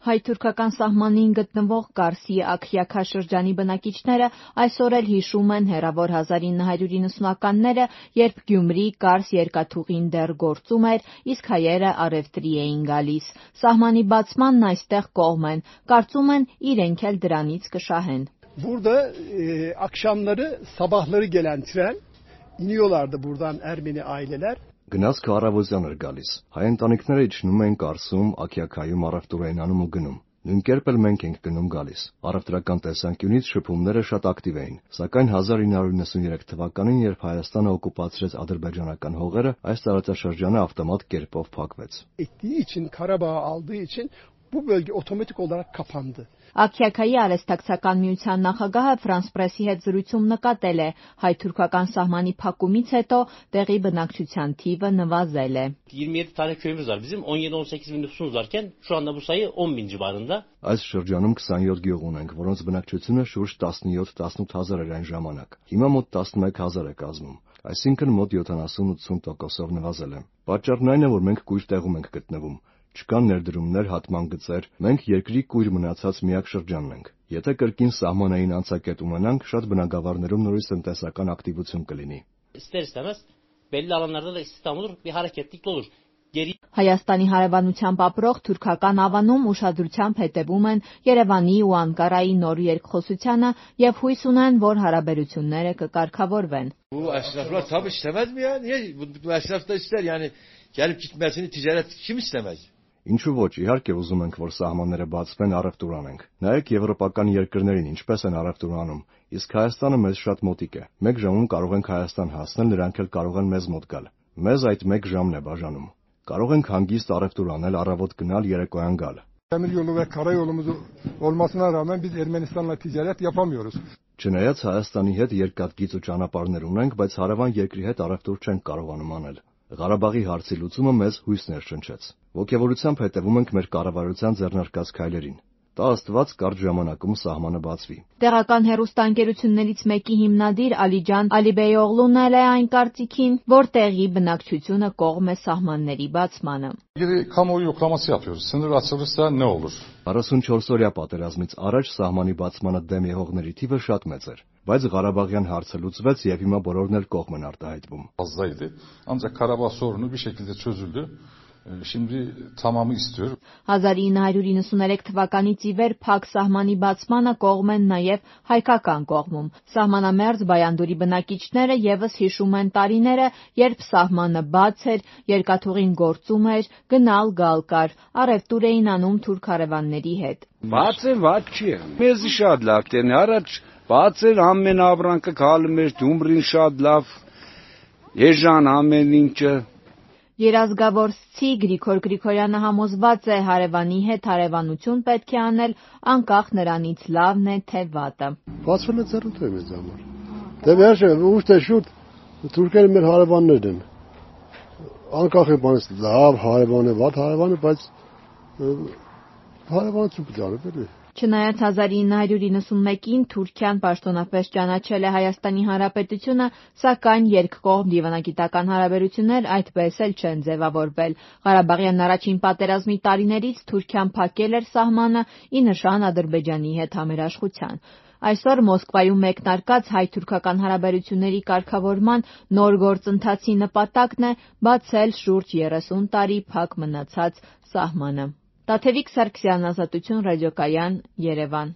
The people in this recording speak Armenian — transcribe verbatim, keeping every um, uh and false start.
Հայ-թուրքական սահմանին գտնվող Կարսի Աքյաքա շրջանի բնակիչները այսօր էլ հիշում են հեռավոր հազար ինը հարյուր իննսունականները, երբ Գյումրի-Կարս երկաթուղին դեռ գործում էր, իսկ հայերը առևտրի էին գալիս։ Սահմանի բացմանն այստեղ կողմ են, կարծում են իրենք էլ դրանից կշահեն։ Burada e, akşamları sabahları gelen tren iniyorlardı buradan Ermeni aileler. Գնացքը առավոտյան էր գալիս։ Հայ ընտանիքները իջնում էին Կարսում, Աքյաքայում առևտուր էին անում ու գնում։ Նույն կերպ էլ մենք ենք գնում գալիս։ Առևտրական տեսանկյունից շփումները շատ ակտիվ էին, սակայն հազար ինը հարյուր նվսանուերեք թվականին, երբ Հայաստանը օկուպացրեց ադրբեջանական հողերը, այս տարածաշրջանը ավտոմատ կերպով փակվեց։ Ettiği için Karabağ'ı aldığı için bu bölge otomatik olarak kapandı. Աքյաքայի արհեստակցական միության նախագահը Ֆրանս Պրեսի հետ զրույցում նկատել է, հայ-թուրքական սահմանի փակումից հետո տեղի բնակչության թիվը նվազել է։ յիրմի յեդի tane köyümüz var. Bizim on yedi on sekiz bin nüfusumuz varken şu anda bu sayı on bin civarında. Այս շրջանում քսանյոթ գյուղ ունենք, որոնց բնակչությունը շուրջ տասնյոթ տասնութ հազար էր այն ժամանակ։ Հիմա մոտ տասնմեկ հազար է կազմում, այսինքն մոտ յոթանասուն ութսուն տոկոսով նվազել է։ Պատճառն այն է, որ մենք կույր տեղում ենք գտնվում։ Չկան ներդրումներ, հատման գծեր, մենք երկրի կույր մնացած միակ շրջանն ենք։ Եթե կրկին սահմանային անցակետ ունենանք, շատ բնակավարներում նորից տնտեսական ակտիվություն կլինի։ İster istemez belli alanlarda da istihdam olur, bir hareketlilik olur. Geri Հայաստանի հարևանությամբ ապրող թուրքական ավանում ուշադրությամբ հետևում են Երևանի ու Անկարայի նոր երկխոսությանը եւ հույս ունեն, որ հարաբերությունները կկարգավորվեն։ Bu esnaflar tabii istemez mi ya? Niye? Bu, bu esnaf da ister yani. Gelip gitmesini ticaret kim istemez? Ինչու ոչ, իհարկե ուզում ենք, որ սահմանները բացվեն, առևտուր անենք։ Նայեք եվրոպական երկրներին ինչպես են առևտուր անում, իսկ Հայաստանը մեզ շատ մոտիկ է։ Մեկ ժամում կարող ենք Հայաստան հասնել, նրանք էլ կարող են մեզ մոտ գալ։ Մեզ այդ մեկ ժամն է բաժանում։ Կարող ենք հանգիստ առևտուր անել, առավոտ գնալ, yerekոyan gալ։ Demir yolu ve karayolumuz olmasına rağmen biz Ermenistan'la ticaret yapamıyoruz. Չնայած Հայաստանի հետ երկաթգիծ ու ճանապարհներ ունենք, բայց հարևան երկրի հետ առևտուր չենք կարողանում անել։ Ղարաբաղի հարցի լուծումը մեզ հույս ներշնչեց։ Ոգևորությամբ հետևում ենք մեր կառավարության ձեռնարկած քայլերին։ Տա Աստված կարճ ժամանակում սահմանը բացվի։ Տեղական հեռուստաընկերություններից մեկի հիմնադիր Ալիջան Ալիբեյօղլուն էլ է այն կարծիքին, որ տեղի բնակչությունը կողմ է սահմանների բացմանը։ İlgili kamuoyu yoklaması yapıyoruz. Sınır açılırsa ne olur? քառասունչորս օրյա պատերազմից առաջ սահմանի բացմանը դեմ եղողների թիվը շատ մեծ էր, բայց Ղարաբաղյան հարցը լուծվեց եւ հիմա բոլորն էլ կողմ են արտահայտվում։ Fazlaydı. Ancak Karabağ sorunu bir şekilde çözüldü. Şimdi tamamı istiyor. հազար ինը հարյուր իննսուներեք թվականից ի վեր փակ սահմանի բացմանը կողմ են նաև հայկական կողմում։ Սահմանամերձ Բայանդուրի բնակիչները եւս հիշում են տարիները, երբ սահմանը բաց էր, երկաթուղին գործում էր, գնալ գալ կար, առևտուր էին անում թուրք հարևանների հետ։ Բաց է, բաց չի։ Մեզ շատ լավ տեն առաջ բաց էր, ամեն ապրանքը գալում էր, Գյումրին շատ լավ, Էժան ամեն ինչը։ Երազգավորսցի Գրիգոր Գրիգորյանը համոզված է հարևանի հետ հարևանություն պետք է անել անկախ նրանից լավն է թե վատը։ Բացվել է ծառայություն մեզ համար։ Դե վերջը ուշ թե շուտ թուրքերը մեր հարևաններն են։ Անկախ է բանից լավ հարևան է, վատ հարևան է, բայց հարևանություն կդառնա էլի։ Չնայած հազար ինը հարյուր իննսունմեկին Թուրքիան պաշտոնապես ճանաչել է Հայաստանի Հանրապետությունը, սակայն երկկողմ դիվանագիտական հարաբերություններ այդպես էլ չեն ձևավորվել։ Ղարաբաղյան առաջին պատերազմի տարիներից Թուրքիան փակել էր սահմանը ի նշան Ադրբեջանի հետ համերաշխության։ Այսօր Մոսկվայում մեկնարկած հայ-թուրքական հարաբերությունների կարգավորման նոր գործընթացի նպատակն է բացել շուրջ երեսուն տարի փակ մնացած սահմանը։ Տաթևիկ Սարգսյան, Ազատություն ռադիոկայան, Երևան։